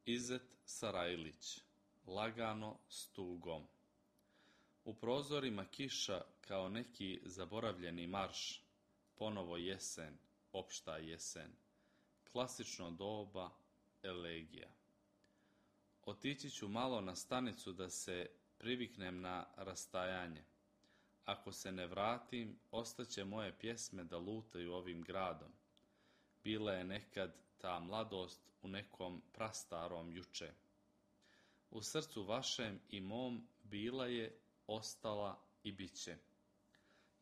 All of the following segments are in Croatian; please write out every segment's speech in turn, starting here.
Izet Sarajlić, lagano s tugom. U prozorima kiša kao neki zaboravljeni marš, ponovo jesen, opšta jesen, klasično doba, elegija. Otići ću malo na stanicu da se priviknem na rastajanje. Ako se ne vratim, ostaće moje pjesme da lutaju ovim gradom. Bila je nekad ta mladost u nekom prastarom juče. U srcu vašem i mom bila je, ostala i bit će.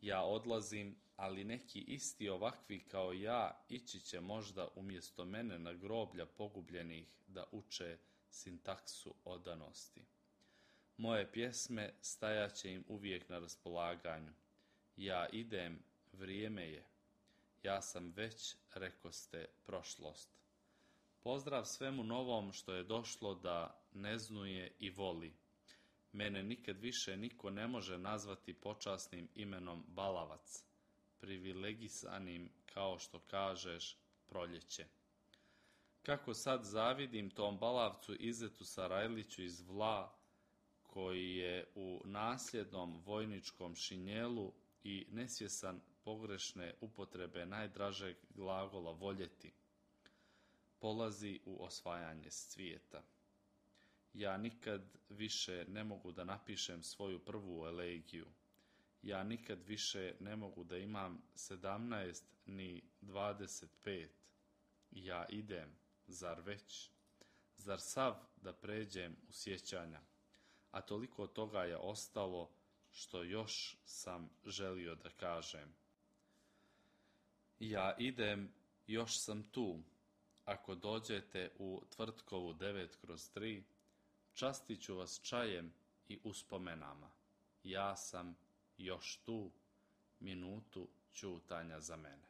Ja odlazim, ali neki isti ovakvi kao ja ići će možda umjesto mene na groblja pogubljenih da uče sintaksu odanosti. Moje pjesme stajaće im uvijek na raspolaganju. Ja idem, vrijeme je. Ja sam već, rekoste, prošlost. Pozdrav svemu novom što je došlo da neznuje i voli. Mene nikad više niko ne može nazvati počasnim imenom balavac, privilegisanim, kao što kažeš, proljeće. Kako sad zavidim tom balavcu Izetu Sarajliću iz Vla, koji je u nasljednom vojničkom šinjelu i nesvjesan pogrešne upotrebe najdražeg glagola voljeti, polazi u osvajanje svijeta. Ja nikad više ne mogu da napišem svoju prvu elegiju. Ja nikad više ne mogu da imam 17 ni 25. Ja idem, zar već? Zar sav da pređem u sjećanja? A toliko toga je ostalo što još sam želio da kažem. Ja idem, još sam tu. Ako dođete u Tvrtkovu 9/3, častit ću vas čajem i uspomenama. Ja sam još tu, minutu ćutanja za mene.